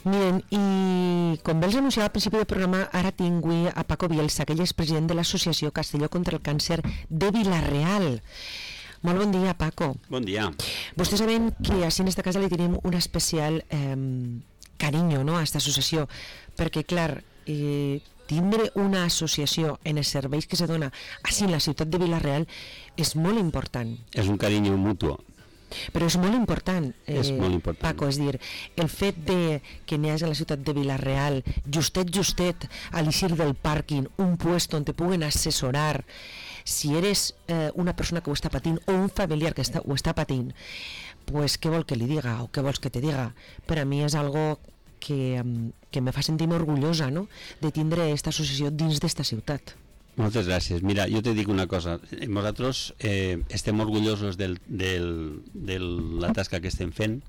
Miren, i com bé els anunciava al principi del programa, ara tinc a Paco Bielsa, que ell és president de l'Associació Castelló contra el Càncer de Vila-real. Molt bon dia, Paco. Bon dia. Vostès saben que així en esta casa li tenim un especial carinyo, no, a aquesta associació, perquè, clar, tindre una associació en els serveis que se dona així en la ciutat de Vila-real és molt important. És un carinyo mutu. Però és molt important, Paco, és dir, el fet de que n'hi hagi a la ciutat de Vila-real, justet, a l'eixir del pàrquing, un puesto on te puguen assessorar, si eres una persona que ho està patint o un familiar que ho està patint, pues què vol que li diga o què vols que te diga? Per a mi és algo que me fa sentir orgullosa, no?, de tindre aquesta associació dins d'esta ciutat. Moltes gràcies. Mira, jo te dic una cosa. Nosaltres estem orgullosos de la tasca que estem fent,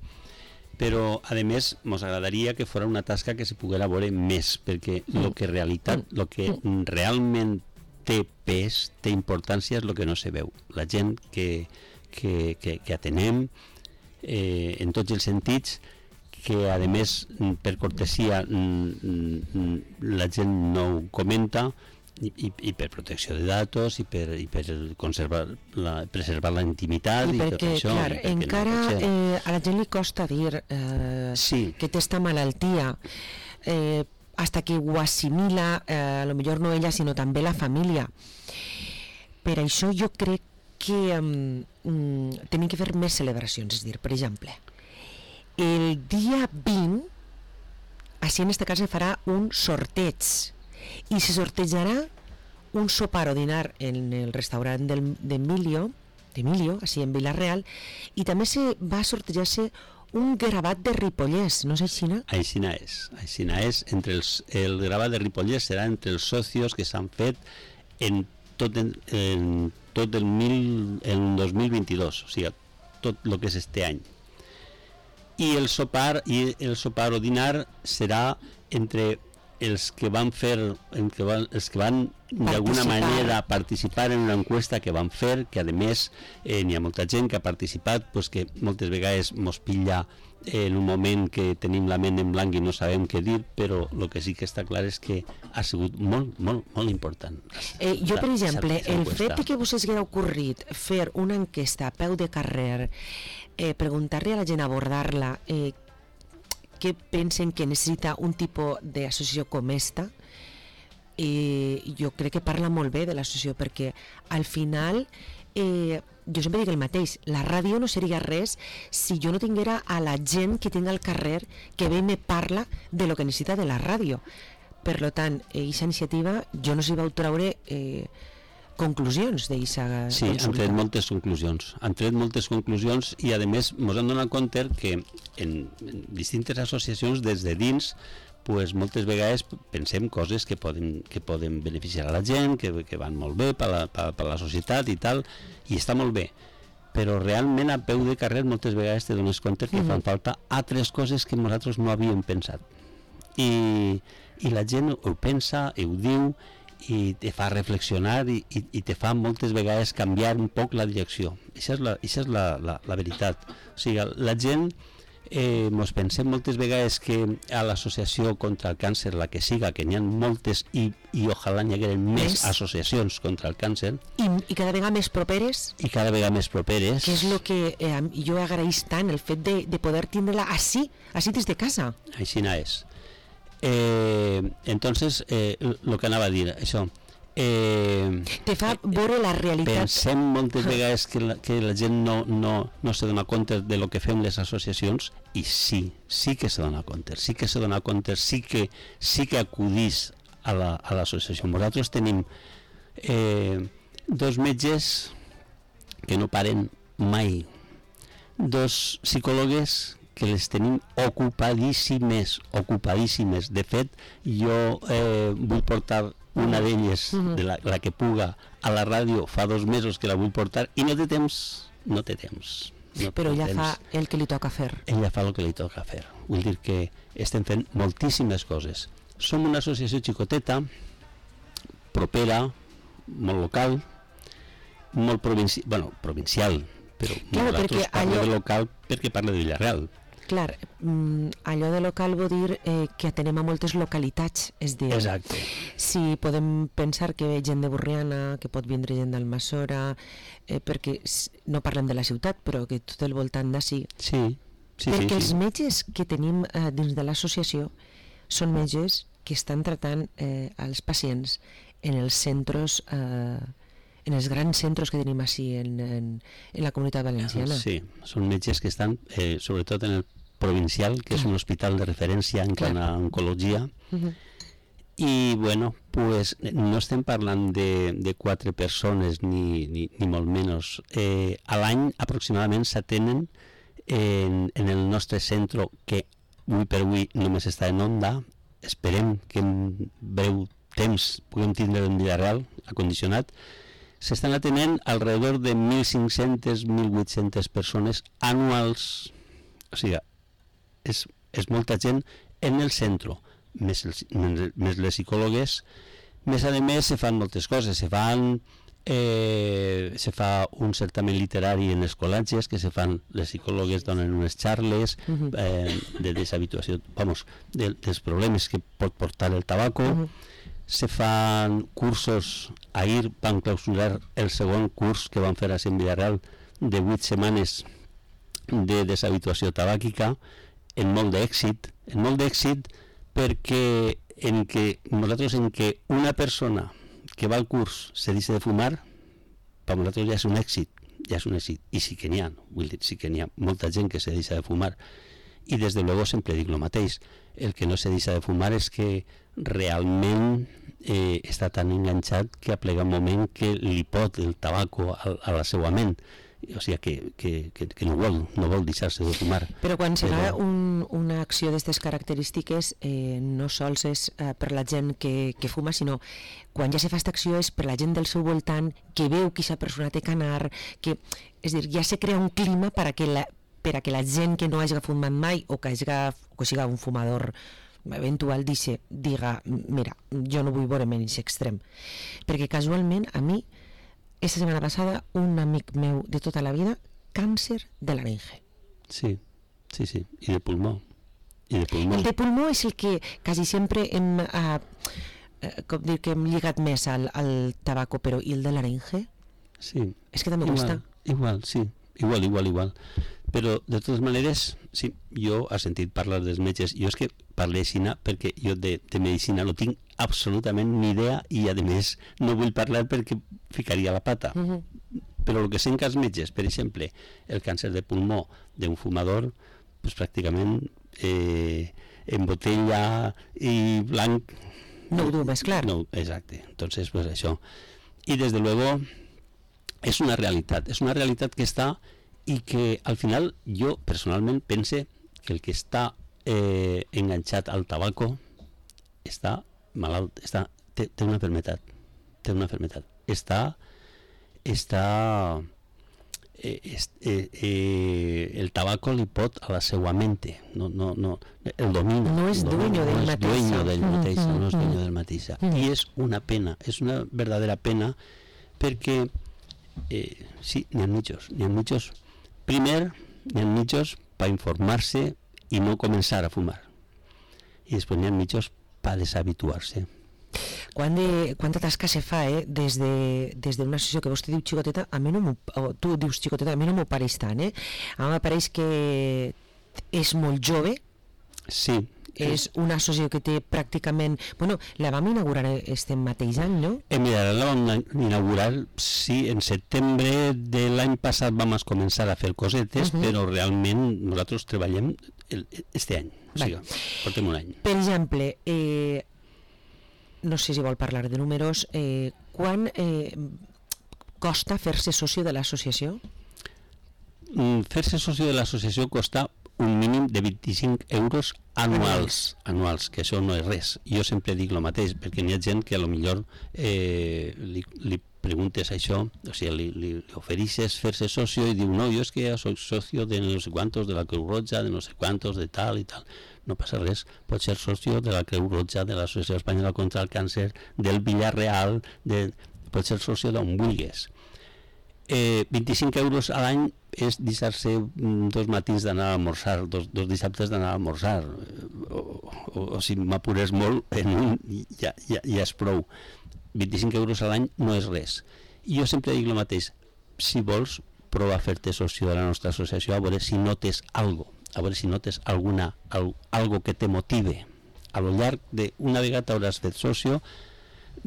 però, a més, ens agradaria que fos una tasca que se poguera veure més, perquè el que realment té pes, té importància, és el que no se veu. La gent que atenem en tots els sentits, que, a més, per cortesia, la gent no ho comenta, i per protecció de datos i per preservar la intimitat i tot això. Clar, encara a la gent li costa dir que té esta malaltia hasta que ho assimila, a lo millor no ella sinó també la família. Per això jo crec que tenim que fer més celebracions, és dir, per exemple, el dia 20 així en esta casa farà un sorteig i se sortejarà un sopar o dinar en el restaurant d'Emilio, així en Vila-real, i també va sortejar-se un gravat de Ripollès, no és així? Aixina és. El gravat de Ripollès serà entre els socios que s'han fet en tot el 2022, o sigui, tot el que és este any. I el sopar o dinar serà entre els que van d'alguna manera participar en una encuesta que van fer, que a més n'hi ha molta gent que ha participat, pues que moltes vegades mos pilla en un moment que tenim la ment en blanc i no sabem què dir, però el que sí que està clar és que ha sigut molt important. Jo, per exemple, el fet que vos hagués ocorrit fer una enquesta a peu de carrer, preguntar-li a la gent, abordar-la, que pensen que necessita un tipus d'associació com esta, jo crec que parla molt bé de l'associació, perquè al final jo sempre dic el mateix, la ràdio no seria res si jo no tinguera a la gent que tinc al carrer que ve i me parla de lo que necessita de la ràdio. Per tant, aquesta iniciativa jo no s'hi vau treure conclusions d'eixa consulta. Sí, han tret moltes conclusions i a més ens han donat compte que en distintes associacions des de dins pues, moltes vegades pensem coses que poden beneficiar a la gent, que van molt bé per la societat i tal, i està molt bé, però realment a peu de carrer moltes vegades te dones compte que fan falta altres coses que nosaltres no havíem pensat, i la gent ho pensa i ho diu i te fa reflexionar i te fa moltes vegades canviar un poc la direcció. Això és la veritat. O sigui, la gent ens pensem moltes vegades que a l'associació contra el càncer, la que siga, que n'hi ha moltes i ojalà n'hi hagueren més associacions contra el càncer. I cada vegada més properes. I cada vegada més properes. Que és el que jo agraïs tant, el fet de poder tindre-la així des de casa. Així és. Entonces lo que anava a dir, això te fa veure la realitat. Pensem moltes vegades que la gent no se dona compte de lo que fem les associacions, i sí que se dona compte, sí que acudís a l'associació. Nosaltres tenim 2 metges que no paren mai, 2 psicòlogues que les tenim ocupadíssimes. De fet, jo vull portar una d'elles, de la que puga, a la ràdio fa 2 mesos que la vull portar i no té temps. Però ella fa el que li toca fer. Ella fa el que li toca fer. Vull dir que estem fent moltíssimes coses. Som una associació xicoteta, propera, molt local, molt provincial, però nosaltres parlem de local perquè parla de Vila-real. Clar, allò de local vol dir que atenem a moltes localitats, és dir, exacte. Si podem pensar que ve gent de Borriana, que pot vindre gent d'Almassora, perquè no parlem de la ciutat, però que tot el voltant d'ací. Sí. Perquè els metges que tenim dins de l'associació són metges que estan tratant els pacients en els centres, en els grans centres que tenim així en la comunitat valenciana. Sí, són metges que estan sobretot en el provincial, que és un hospital de referència en quant a oncologia. I bueno, pues no estem parlant de 4 persones ni molt menys. A l'any aproximadament s'atenen en el nostre centre, que avui per avui només està en Onda. Esperem que en breu temps puguem tindre en vida real, acondicionat. S'estan atenent alrededor de 1.500-1.800 persones anuals. O sigui, és molta gent en el centre, més les psicòlogues. Més a més, se fan moltes coses. Se fa un certamen literari en els col·legis, que se fan, les psicòlogues donen unes xarles de deshabituació, dels problemes que pot portar el tabaco. Se fan cursos. Ahir van clausurar el segon curs que van fer a en vida real de 8 setmanes de deshabituació tabàquica, en molt d'èxit perquè nosaltres en què una persona que va al curs se deixa de fumar, per nosaltres ja és un èxit, i sí que n'hi ha, vull dir, sí que n'hi ha molta gent que se deixa de fumar, i des de luego sempre dic el mateix, el que no se deixa de fumar és que realment està tan enganxat que aplega un moment que li pot el tabaco a la seva ment, o sigui que no vol deixar-se de fumar. Però quan serà una acció d'aquestes característiques no sols és per la gent que fuma, sinó quan ja se fa aquesta acció és per la gent del seu voltant que veu que aquesta persona té que anar, és dir, ja se crea un clima per a que la gent que no hagi fumat mai o que siga un fumador eventual diga, mira, jo no vull veure menys extrem. Perquè casualment a mi esta setmana passada un amic meu de tota la vida, càncer de laringe. Sí, i de pulmó. El de pulmó és el que quasi sempre hem lligat més al tabaco, però i el de laringe? Sí. És que també costa. Igual, sí. Igual. Però, de totes maneres, sí, jo he sentit parlar dels metges. Jo és que parlé així perquè jo de medicina no tinc absolutament ni idea i, a més, no vull parlar perquè ficaria la pata. Però el que sent que els metges, per exemple, el càncer de pulmó d'un fumador, pues, pràcticament en botella i blanc... No ho du més clar. No, exacte. Entonces, pues això. I, des de luego, és una realitat que està i que al final jo personalment pense que el que està enganxat al tabaco està malalt, té una malaltia, el tabaco li pot a la seva mente, no el domina, no és dueño del mateix, i és una pena, és una verdadera pena perquè sí, n'hi ha mitjos. Primer, n'hi ha mitjos per informar-se i no començar a fumar, i després n'hi ha mitjos per deshabituar-se. Quanta tasca se fa des d'una associació que vostè diu xicoteta, tu dius xicoteta, a mi no m'ho pareix tant, a mi m'apareix que és molt jove. Sí. És una associació que té pràcticament... Bueno, la vam inaugurar este mateix any, no? Mira, la vam inaugurar, sí, en setembre de l'any passat vam començar a fer cosetes, però realment nosaltres treballem este any, o sigui, portem un any. Per exemple, no sé si vol parlar de números, quan costa fer-se soci de l'associació? Fer-se soci de l'associació costa un mínim de 25 euros anuals, que això no és res. Jo sempre dic el mateix, perquè n'hi ha gent que a lo millor li preguntes això, o sigui, li ofereixes fer-se socio i diu, no, jo és que soy socio de no sé quantos de la Creu Roja, de no sé quantos, de tal i tal. No passa res, pot ser socio de la Creu Roja, de l'Associació Espanyola contra el Càncer, del Villarreal, pot ser socio d'on vulguis. 25 euros a l'any és deixar-se 2 matins d'anar a almorzar, dos dissabtes d'anar a almorzar, o si m'apures molt, en un ja és prou. 25 euros a l'any no és res. I jo sempre dic el mateix, si vols, prova a fer-te socio de la nostra associació, a veure si notes algo, a veure si notes algo que te motive. A lo llarg d'una vegada t'hauràs fet socio,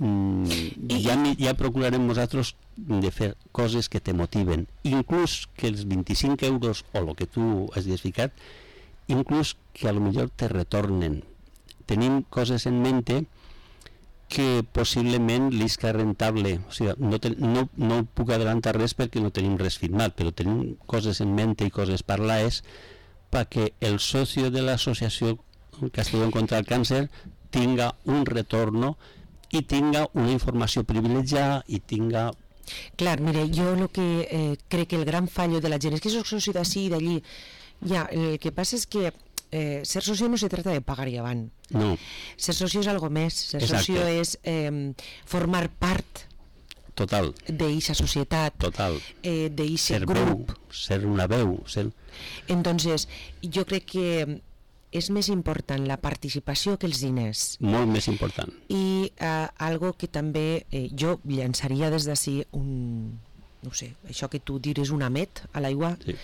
ja procurarem nosaltres de fer coses que te motiven, inclús que els 25 euros o el que tu has ficat, inclús que a lo millor te retornen. Tenim coses en mente que possiblement l'isca rentable, o sigui, no puc adelantar res perquè no tenim res firmat, però tenim coses en mente i coses parlades perquè el socio de l'associació Castellón contra el Càncer tinga un retorno i tinga una informació privilegiada i tinga... Clar, mire, jo el que crec que el gran fallo de la gent és que soc soci d'ací i d'allí. Ja, el que passa és que ser socio no se trata de pagar i avant. No. Ser socio és algo més. Ser socio és formar part total d'eixa societat, total, d'eixe grup. Ser una veu. Entonces, jo crec que és més important la participació que els diners. Molt més important. I algo que també jo llançaria des d'ací no sé, això que tu dires un amet a l'aigua. Sí.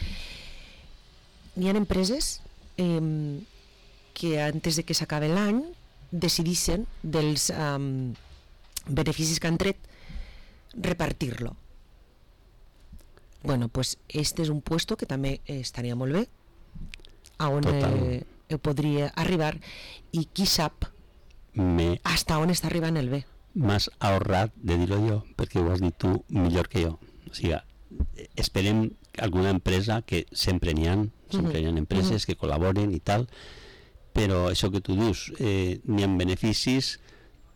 Hi ha empreses que antes de que s'acabe l'any decidissin dels beneficis que han tret repartir-lo. Bueno, pues este és un puesto que també estaria molt bé, a on podria arribar, i qui sap hasta on està arribant el bé. M'has ahorrat de dir-ho jo, perquè ho has dit tu millor que jo. O sigui, esperem alguna empresa, que sempre n'hi ha, empreses que col·laboren i tal, però això que tu dius, n'hi ha beneficis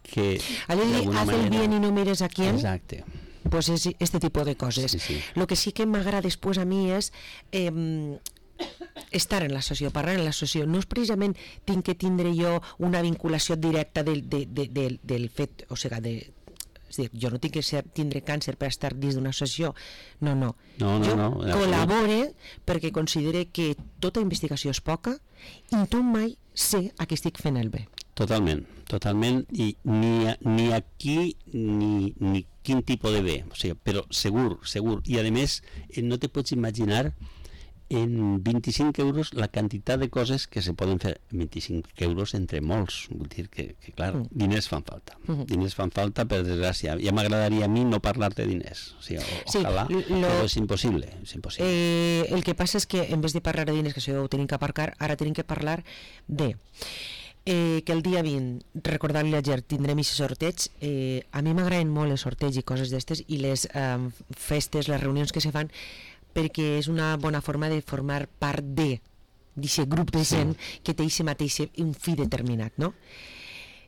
que d'alguna manera... Haz el bien y no mires a quién. Exacte. Pues es este tipo de coses. Sí. Lo que sí que m'agrada després a mi és estar en l'associació, parlar en l'associació. No és precisament tinc que tindre jo una vinculació directa del fet, o sigui, és dir, jo no tinc que tindre càncer per estar dins d'una associació. No. Jo col·labore perquè considere que tota investigació és poca i tu mai sé a qui estic fent el bé. Totalment, i ni aquí ni quin tipus de bé, o sigui, però segur, i a més no te pots imaginar en 25 euros la quantitat de coses que se poden fer. 25 euros entre molts, vull dir que clar, diners fan falta, per desgràcia. Ja m'agradaria a mi no parlar de diners, o sigui, ojalà, però és impossible. El que passa és que en vez de parlar de diners, que això ho tenim que aparcar, ara tenim que parlar de que el dia 20, recordar-li a Ger, tindrem aquest sorteig. A mi m'agraden molt els sorteigs i coses d'estes, i les festes, les reunions que se fan, perquè és una bona forma de formar part d'aquest grup de gent que té aquest mateix un fi determinat, no?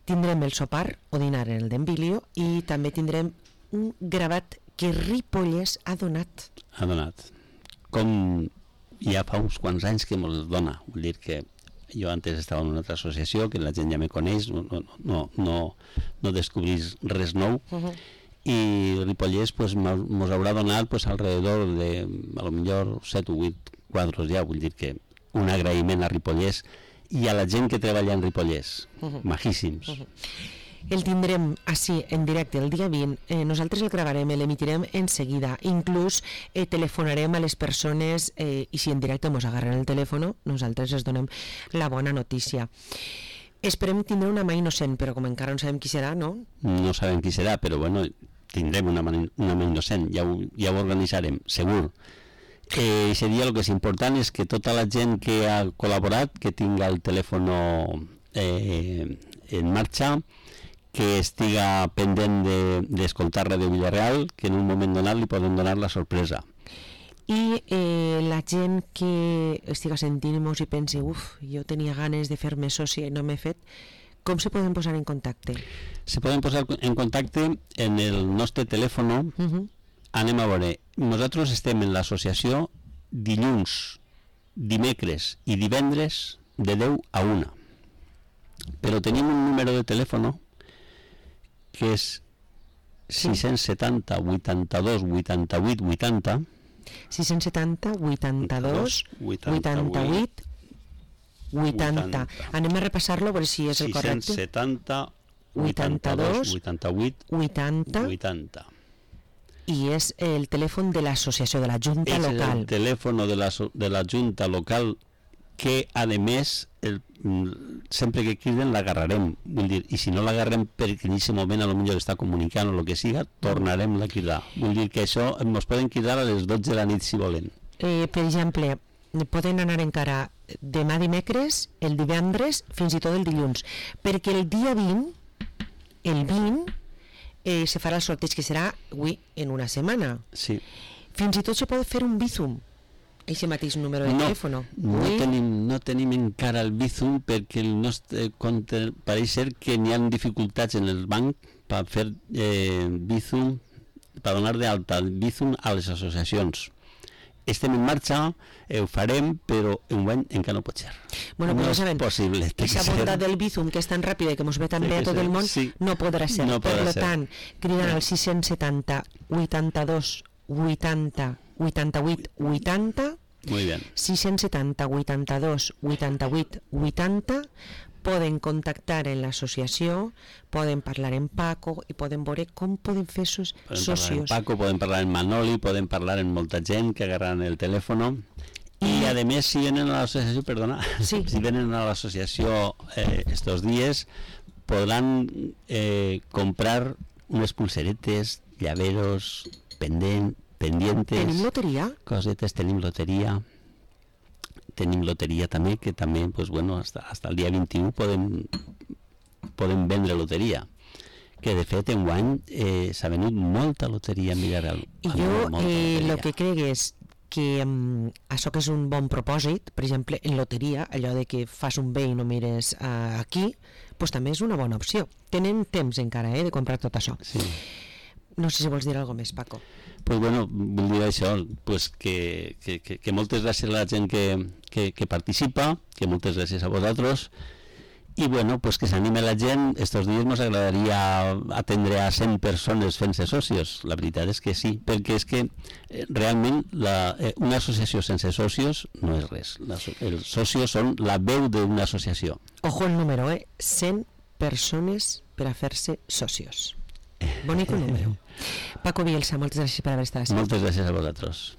Tindrem el sopar o dinar en el d'Embilio i també tindrem un gravat que Ripollès ha donat. Ha donat. Com ja fa uns quants anys que me'ls dona, vull dir que jo antes estava en una altra associació que la gent ja me coneix, no descobrís res nou, i Ripollès pues, mos haurà donat pues, alrededor de a lo millor 7 o 8 quadros ja, vull dir que un agraïment a Ripollès i a la gent que treballa en Ripollès, majíssims. El tindrem així en directe el dia 20, nosaltres el gravarem, l'emitirem en seguida, inclús telefonarem a les persones i si en directe ens agarren el telèfon, nosaltres els donem la bona notícia. Esperem tindre una mà innocent, però com encara no sabem qui serà, no? No sabem qui serà, però bueno, tindrem una mà innocent, ja ho organitzarem, segur. Aquest dia el que és important és que tota la gent que ha col·laborat, que tinga el telèfon en marxa, que estiga pendent d'escoltar Ràdio Villarreal, que en un moment donat li poden donar la sorpresa. I la gent que estiga sentint-nos i pensi, jo tenia ganes de fer-me sòcia i no m'he fet, com se poden posar en contacte? Se poden posar en contacte en el nostre telèfon. Anem a veure, nosaltres estem en l'associació dilluns, dimecres i divendres de 10 a 1. Però tenim un número de telèfon que és 670 82 88 80. 670 82 88 80. Anem a repassar-lo per si és el correcte. 670 82 88 80. I és el telèfon de l'associació, de la Junta Local. És el telèfon de la Junta Local que, a més, sempre que criden l'agarrarem. Vull dir, i si no l'agarrem perquè en aquest moment potser està comunicant o el que siga, tornarem a cridar. Vull dir que això ens poden cridar a les 12 de la nit si volen. Per exemple, poden anar encara demà dimecres, el divendres, fins i tot el dilluns, perquè el dia 20, se farà el sorteig, que serà avui en una setmana. Sí. Fins i tot se pot fer un Bizum, aquest mateix número de telèfon. No tenim encara el Bizum perquè el nostre compte pareix ser que n'hi ha dificultats en el banc per fer Bizum, per donar d'alta el Bizum a les associacions. Estem en marxa, ho farem, però enguany encara no pot ser. Bueno, no és possible. Aquesta bondat del Bizum, que és tan ràpida i que ens ve tan bé a tot el món, no podrà ser. Per tant, cridant al 670 82 80 88 80, muy bien. 670 82 88 80, poden contactar en l'associació, poden parlar amb Paco i poden veure com poden fer socios. Poden parlar amb Paco, poden parlar amb Manoli, poden parlar amb molta gent que agarran el telèfon. I a més, si venen a l'associació, si venen a l'associació estos dies, podran comprar unes pulseretes, llaveros, pendientes. Tenim loteria? Cosetes, tenim loteria. Tenim loteria també, que també, pues, bueno, hasta el dia 21 podem vendre loteria. Que de fet enguany s'ha venut molta loteria en Villarreal. I jo el que crec és que això que és un bon propòsit, per exemple, en loteria, allò de que fas un bé i no mires aquí, pues també és una bona opció. Tenen temps encara de comprar tot això. Sí. No sé si vols dir alguna cosa més, Paco. Pues bueno, vull dir això, pues que moltes gràcies a la gent que participa, que moltes gràcies a vosaltres, i bueno, pues que s'anime la gent. Estos dies ens agradaria atendre a 100 persones fent-se socios. La veritat és que sí, perquè és que realment una associació sense socios no és res. Els socios són la veu d'una associació. Ojo el número, 100 persones per a fer-se socios. Bonico número. Paco Bielsa, moltes gràcies per haver estat aquí. Moltes gràcies a vosaltres.